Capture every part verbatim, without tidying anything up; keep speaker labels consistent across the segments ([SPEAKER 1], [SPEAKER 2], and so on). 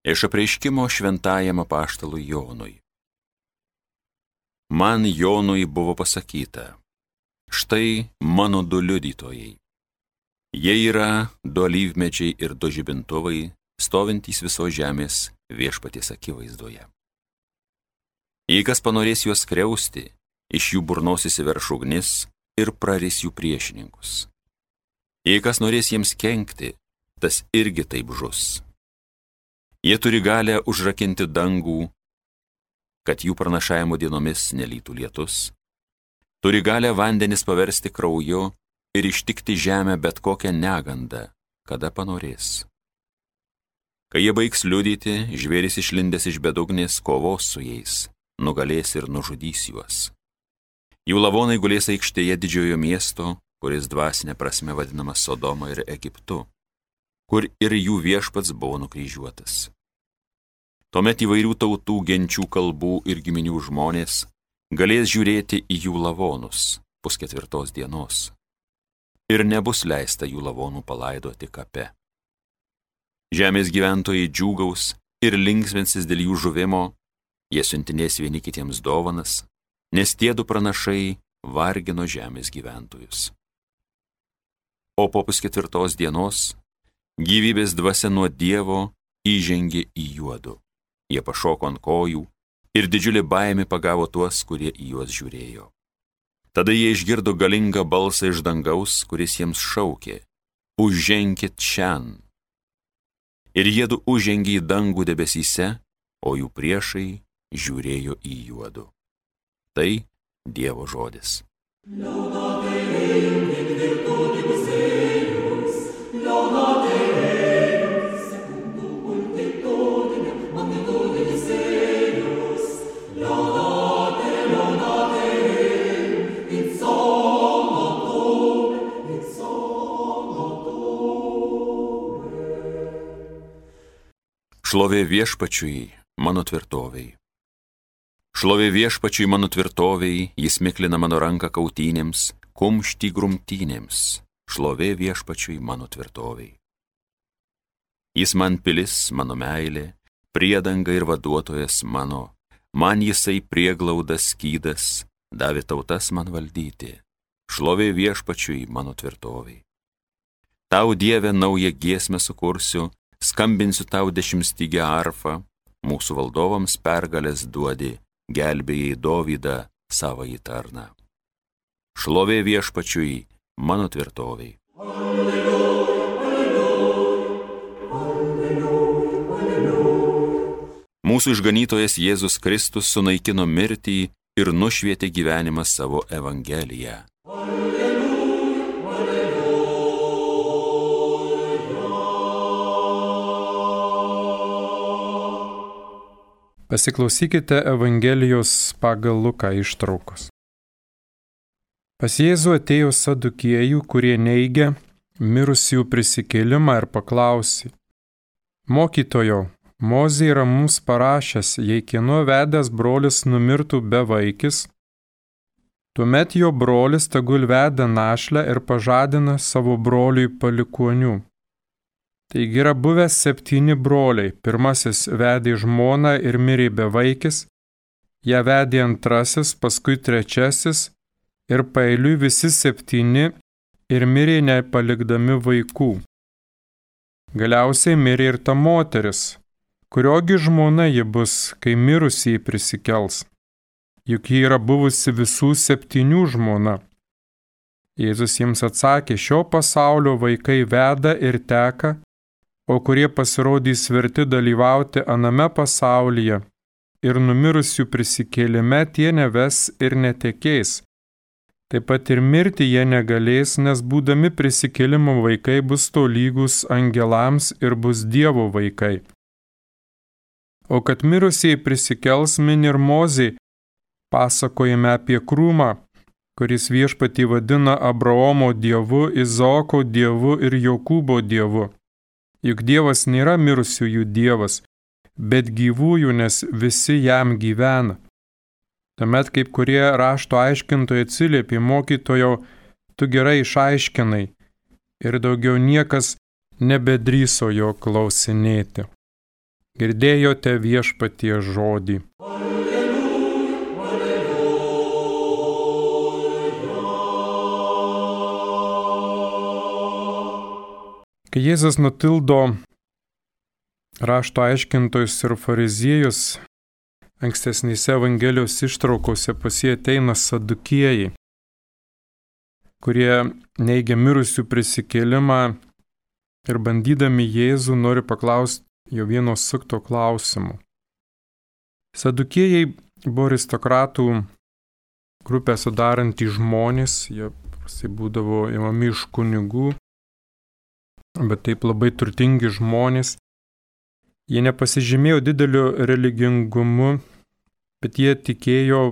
[SPEAKER 1] Iš apreiškimo šventajam apaštalui Jonui. Man Jonui buvo pasakyta, štai mano du liudytojai. Jie yra du alyvmedžiai ir du žibintuvai, stovintys visos žemės viešpaties akivaizdoje. Jei kas panorės juos skriausti, iš jų burnos įsiverš ugnis ir praris jų priešininkus. Jei kas norės jiems kenkti, tas irgi taip žus. Jie turi galę užrakinti dangų, kad jų pranašavimo dienomis nelytų lietus. Turi galę vandenis paversti krauju ir ištikti žemę bet kokią negandą, kada panorės. Kai jie baigs liudyti, žvėris išlindęs iš bedugnės kovos su jais, nugalės ir nužudys juos. Jų lavonai gulės aikštėje didžiojo miesto, kuris dvasinė prasme vadinamas Sodoma ir Egiptu, kur ir jų viešpats buvo nukryžiuotas. Tuomet įvairių tautų, genčių, kalbų ir giminių žmonės galės žiūrėti į jų lavonus pusketvirtos dienos ir nebus leista jų lavonų palaidoti kape. Žemės gyventojai džiūgaus ir linksminsis dėl jų žuvimo, jie siuntinės vieni kitiems dovanas, nes tie du pranašai vargino žemės gyventojus. O po pusketvirtos dienos gyvybės dvasia nuo Dievo įžengė į juodu. Jie pašoko ant kojų ir didžiulė baimė pagavo tuos, kurie į juos žiūrėjo. Tada jie išgirdo galingą balsą iš dangaus, kuris jiems šaukė: užženkit čian. Ir jiedu užžengė į dangų debesyse, o jų priešai žiūrėjo į juodu. Tai Dievo žodis. Šlovė viešpačiui, mano tvirtovei. Šlovė viešpačiui, mano tvirtovei, jis miklina mano ranką kautynėms, kumštį grumtynėms. Šlovė viešpačiui, mano tvirtovei. Jis man pilis, mano meilė, priedanga ir vaduotojas mano, man jisai prieglaudas skydas, davė tautas man valdyti. Šlovė viešpačiui, mano tvirtovei. Tau, Dieve, naują giesmę sukursiu, skambinsiu tau dešimtstygę arfą, mūsų valdovams pergalės duodi, gelbėjai Dovydą savąjį tarną. Šlovė viešpačiui, mano tvirtovei. Alleluja, alleluja, alleluja, alleluja. Mūsų išganytojas Jėzus Kristus sunaikino mirtį ir nušvietė gyvenimą savo evangeliją.
[SPEAKER 2] Pasiklausykite Evangelijos pagal Luką ištraukos. Pas Jėzų atėjo sadukiejų, kurie neigia mirusiųjų prisikėlimą ir paklausė: Mokytojo, Mozė yra mums parašęs, jei kieno vedęs brolis numirtų be vaikis, tuomet jo brolis tegul veda našlę ir pažadina savo broliui palikuonių. Taigi yra buvęs septyni broliai. Pirmasis vedė žmoną ir mirė be vaikis, ją vedė antrasis, paskui trečiasis ir paeiliui visi septyni ir mirė nepalikdami vaikų. Galiausiai mirė ir ta moteris, kuriogi žmona ji bus, kai mirusieji prisikels. Juk ji yra buvusi visų septynių žmona. Jėzus jiems atsakė: šio pasaulio vaikai veda ir teka, o kurie pasirodys verti dalyvauti aname pasaulyje ir numirusių prisikėlime, tie neves ir netekės. Taip pat ir mirti jie negalės, nes būdami prisikėlimo vaikai bus tolygus angelams ir bus Dievo vaikai. O kad mirusieji prisikels, min ir Mozė pasakojame apie krūmą, kuris viešpatį vadina Abraomo Dievu, Izaoko Dievu ir Jokūbo Dievu. Juk Dievas nėra mirusiųjų Dievas, bet gyvųjų, nes visi jam gyvena. Tuomet kaip kurie rašto aiškintojai atsiliepė: mokytojau, tu gerai išaiškinai, ir daugiau niekas nebedrįso jo klausinėti. Girdėjote Viešpaties žodį. Kai Jėzus nutildo rašto aiškintojus ir fariziejus, ankstesnėse Evangelijos ištraukose pas jį ateina sadukėjai, kurie neigia mirusių prisikėlimą ir bandydami Jėzų nori paklausti jo vieno sukto klausimų. Sadukėjai buvo aristokratų grupę sudarantys žmonės, jie paprastai būdavo imami iš kunigų, bet taip labai turtingi žmonės. Jie nepasižymėjo dideliu religingumu, bet jie tikėjo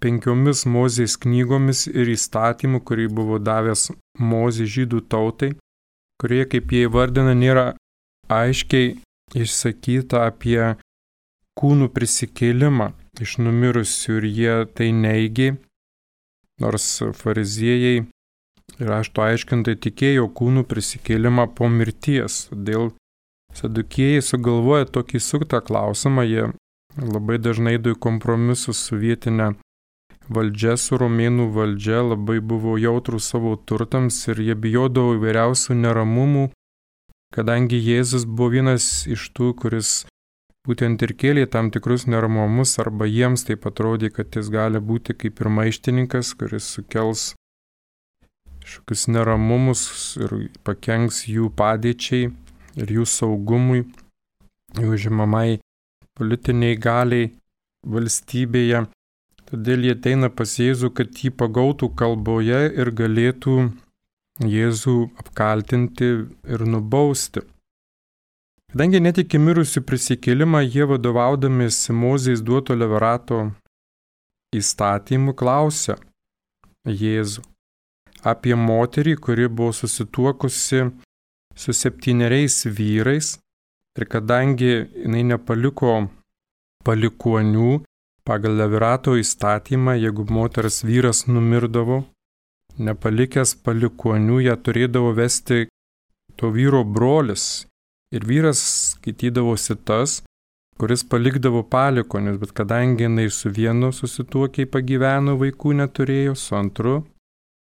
[SPEAKER 2] penkiomis Mozės knygomis ir įstatymu, kurį buvo davęs Mozė žydų tautai, kurie, kaip jie įvardina, nėra aiškiai išsakyta apie kūnų prisikėlimą iš numirusių ir jie tai neigė, nors fariziejai ir rašto aiškintojai tikėjo kūnų prisikėlimą po mirties. Todėl sadukėjai sugalvoja tokį suktą klausimą, jie labai dažnai eido į kompromisus su vietinė valdžia, su romėnų valdžia, labai buvo jautrūs savo turtams ir jie bijodavo įvairiausių neramumų, kadangi Jėzus buvo vienas iš tų, kuris būtent ir kėlė tam tikrus neramumus, arba jiems taip atrodė, kad jis gali būti kaip ir maištininkas, kuris sukels kažkokius neramumus ir pakenks jų padėčiai ir jų saugumui, jų žimamai politiniai galiai valstybėje. Todėl jie ateina pas Jėzų, kad jį pagautų kalboje ir galėtų Jėzų apkaltinti ir nubausti. Kadangi netiki mirusių prisikėlimą, jie vadovaudamiesi Mozės duoto Levirato įstatymu klausia Jėzų apie moterį, kuri buvo susituokusi su septyneriais vyrais ir kadangi jinai nepaliko palikuonių, pagal Levirato įstatymą, jeigu moters vyras numirdavo, nepalikęs palikuonių, ją turėdavo vesti to vyro brolis. Ir vyras skaitydavosi tas, kuris palikdavo palikuonius, bet kadangi jinai su vienu susituokiai pagyveno, vaikų neturėjo, su antru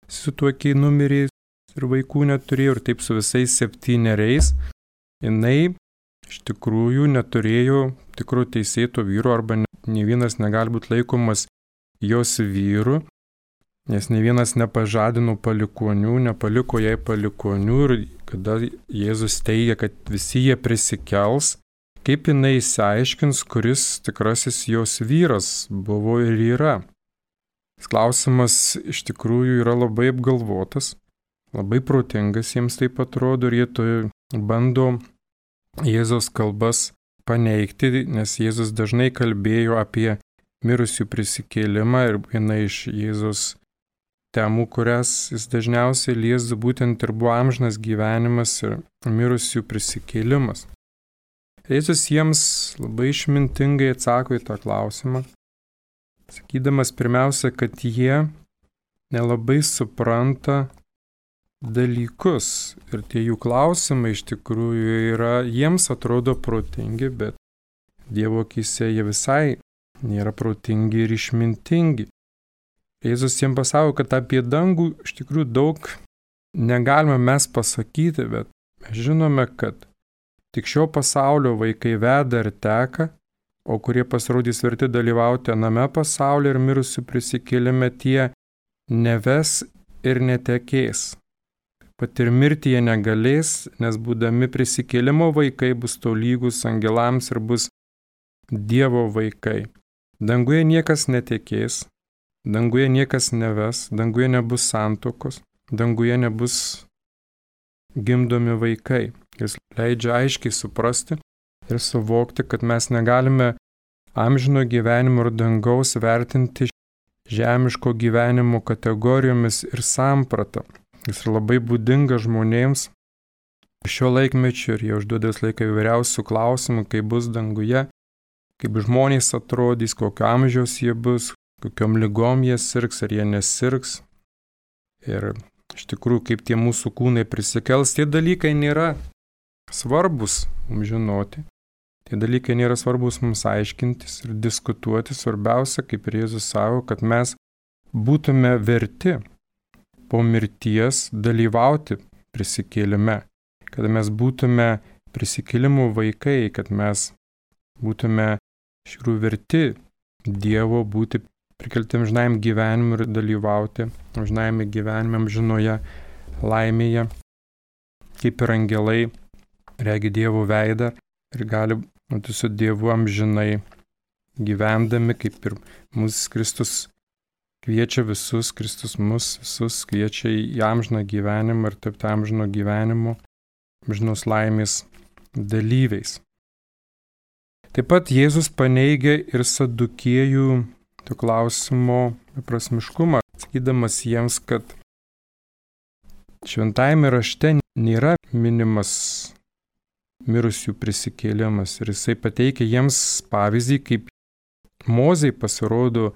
[SPEAKER 2] susituokiai numirė ir vaikų neturėjo, ir taip su visais septyneriais, jinai iš tikrųjų neturėjo tikro teisėto vyro, arba ne vienas negali būti laikomas jos vyru, nes ne vienas nepažadino palikuonių, nepaliko jai palikuonių, ir kada Jėzus teigia, kad visi jie prisikels, kaip jinai išsiaiškins, kuris tikrasis jos vyras buvo ir yra. Klausimas iš tikrųjų yra labai apgalvotas, labai protingas jiems taip atrodo, ir jie to bando Jėzaus kalbas paneigti, nes Jėzus dažnai kalbėjo apie mirusių prisikėlimą ir viena iš Jėzus temų, kurias jis dažniausiai liesdavo, būtent ir buvo amžinas gyvenimas ir mirusių prisikėlimas. Jėzus jiems labai išmintingai atsako į tą klausimą, sakydamas pirmiausia, kad jie nelabai supranta dalykus ir tie jų klausimai iš tikrųjų yra, jiems atrodo protingi, bet Dievo akyse jie visai nėra protingi ir išmintingi. Jėzus jiems pasako, kad apie dangų iš tikrųjų daug negalime mes pasakyti, bet mes žinome, kad tik šio pasaulio vaikai veda ir teka, o kurie pasirodys verti dalyvauti aname pasaulyje ir mirusių prisikėlime, tie neves ir netekės. Pat ir mirti jie negalės, nes būdami prisikėlimo vaikai bus tolygus angelams ir bus Dievo vaikai. Danguje niekas netekės, danguje niekas neves, danguje nebus santuokos, danguje nebus gimdomi vaikai. Jis leidžia aiškiai suprasti ir suvokti, kad mes negalime amžino gyvenimo ir dangaus vertinti žemiško gyvenimo kategorijomis ir sampratą. Jis yra labai būdinga žmonėms šio laikmečio ir jie užduoda vis laiką įvairiausių klausimų, kaip bus danguje, kaip žmonės atrodys, kokio amžiaus jie bus, kokiom ligom jie sirgs, ar jie nesirgs. Ir iš tikrųjų, kaip tie mūsų kūnai prisikels, tie dalykai nėra svarbus mums žinoti. Tie dalykai nėra svarbus mums aiškintis ir diskutuoti. Svarbiausia, kaip ir Jėzus savo, kad mes būtume verti po mirties dalyvauti prisikėlime, kad mes būtume prisikėlimų vaikai, kad mes būtume iš tikrųjų verti Dievo būti prikelti amžinajam gyvenimui ir dalyvauti amžinajame gyvenime, amžinoje laimėje, kaip ir angelai regi Dievo veidą ir gali būti su Dievu amžinai gyvendami, kaip ir mūsų Kristus kviečia visus, Kristus mus visus kviečia į amžiną gyvenimą ir tapti amžino gyvenimo, amžinos laimės dalyviais. Taip pat Jėzus paneigia ir sadukiejų to klausimo beprasmiškumą, sakydamas jiems, kad šventajame rašte nėra minimas mirusių prisikėlimas ir jisai pateikia jiems pavyzdį, kaip Mozei pasirodo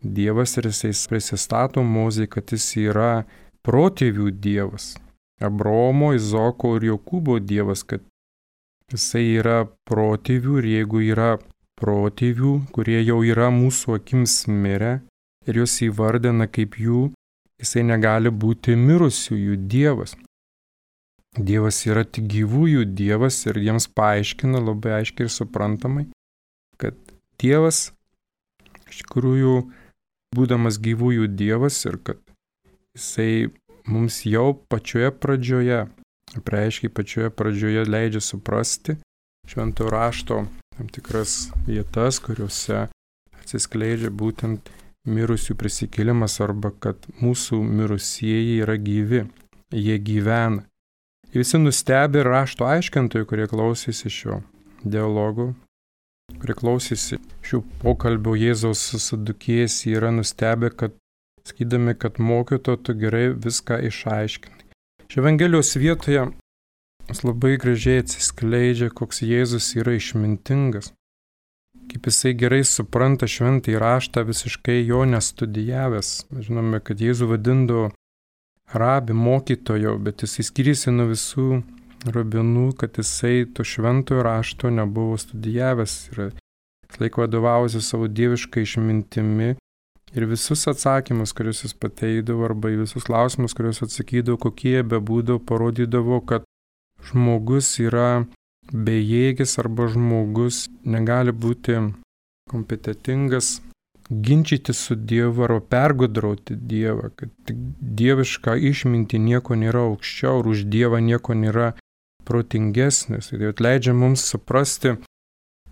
[SPEAKER 2] Dievas ir jisai prisistato Mozei, kad jis yra protėvių Dievas, Abraomo, Izoko ir Jokūbo Dievas, kad jisai yra protėvių ir jeigu yra protėvių, kurie jau yra mūsų akims mirę ir juos įvardina kaip jų, jisai negali būti mirusiųjų Dievas. Dievas yra tik gyvųjų Dievas ir jiems paaiškina labai aiškiai ir suprantamai, kad Dievas iš tikrųjų būdamas gyvųjų Dievas ir kad jisai mums jau pačioje pradžioje, apreiškiai pačioje pradžioje leidžia suprasti šventojo rašto tam tikras vietas, kuriuose atsiskleidžia būtent mirusių prisikėlimas arba kad mūsų mirusieji yra gyvi, jie gyvena. Visi nustebę rašto aiškintojai, kurie klausėsi šio dialogo, kurie klausėsi šių pokalbių Jėzaus su sadukėjais, yra nustebę, kad sakydami, kad mokyto tu gerai viską išaiškinai. Šio Evangelijos vietoje jis labai gražiai atsiskleidžia, koks Jėzus yra išmintingas, kaip jisai gerai supranta šventąjį raštą, visiškai jo nestudijavęs. Mes žinome, kad Jėzų vadindavo rabi, mokytojo, bet jisai skiriasi nuo visų rabinų, kad jisai to šventojo rašto nebuvo studijavęs ir laik vadovavosi savo dievišką išmintimi ir visus atsakymus, kuriuos jis pateikdavo arba į visus klausimus, kuriuos atsakydavo, kokie bebūdavo, parodydavo, kad žmogus yra bejėgis arba žmogus negali būti kompetitingas ginčyti su Dievu arba pergudrauti Dievą, kad dieviška išminti nieko nėra aukščiau ir už Dievą nieko nėra protingesnis. Tai atleidžia mums suprasti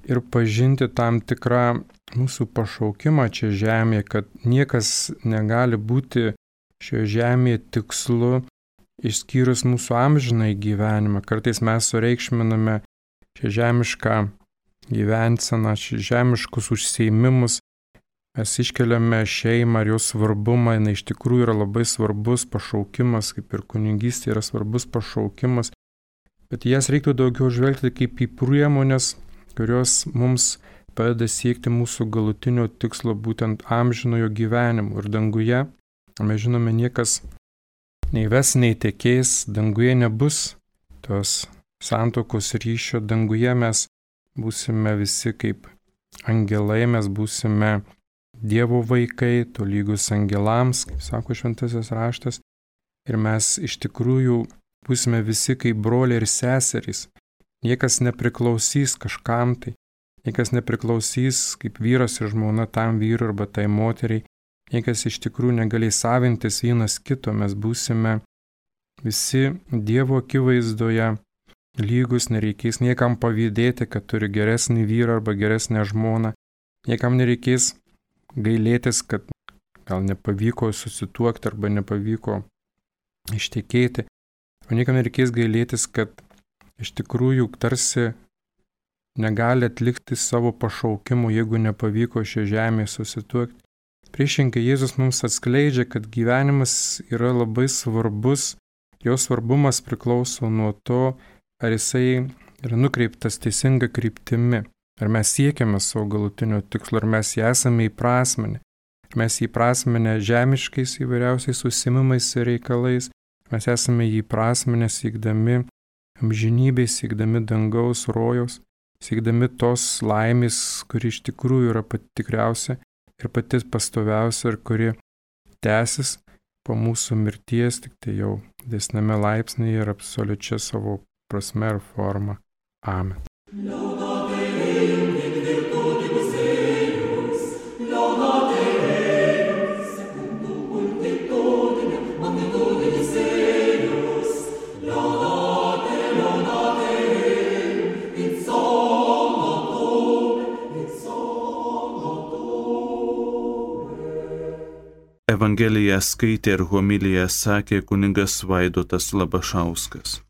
[SPEAKER 2] ir pažinti tam tikrą mūsų pašaukimą čia žemėje, kad niekas negali būti šioje žemėje tikslu išskyrus mūsų amžinai gyvenimą. Kartais mes sureikšminame šią žemišką gyvenseną, šią žemiškus užsiėmimus. Mes iškeliame šeimą ir jos svarbumą, jinai iš tikrųjų yra labai svarbus pašaukimas, kaip ir kunigystė yra svarbus pašaukimas, bet jas reiktų daugiau žvelgti kaip į priemonės, kurios mums padeda siekti mūsų galutinio tikslo, būtent amžinojo gyvenimo. Ir danguje, mes žinome, niekas nei ves, nei tekės, danguje nebus tos santuokos ryšio, danguje mes būsime visi kaip angelai, mes būsime Dievo vaikai, tolygus angelams, kaip sako šventasis raštas, ir mes iš tikrųjų būsime visi kaip broliai ir seserys. Niekas nepriklausys kažkam tai, niekas nepriklausys kaip vyras ir žmona tam vyrui arba tai moteriai, niekas iš tikrųjų negalės savintis vienas kito, mes būsime visi Dievo akivaizdoje lygus, nereikės niekam pavydėti, kad turi geresnį vyrą arba geresnę žmoną, niekam nereikės gailėtis, kad gal nepavyko susituokti arba nepavyko ištekėti, o niekam nereikės gailėtis, kad iš tikrųjų tarsi negali atlikti savo pašaukimų, jeigu nepavyko šią žemę susituokti. Priešingai Jėzus mums atskleidžia, kad gyvenimas yra labai svarbus, jo svarbumas priklauso nuo to, ar jisai yra nukreiptas teisinga kryptimi. Ar mes siekiame savo galutinio tikslo, ar mes jį esame įprasminę, ar mes jį įprasminę žemiškais įvairiausiais užsiėmimais ir reikalais, mes esame jį įprasminę siekdami amžinybės, siekdami dangaus rojaus, siekdami tos laimės, kuri iš tikrųjų yra pati tikriausia ir pati pastoviausia ir kuri tęsis po mūsų mirties, tik tai jau didesnėme laipsnyje ir absoliučia savo prasme ir forma. Amen.
[SPEAKER 3] Evangeliją skaitė ir homiliją sakė kunigas Vaidotas Labašauskas.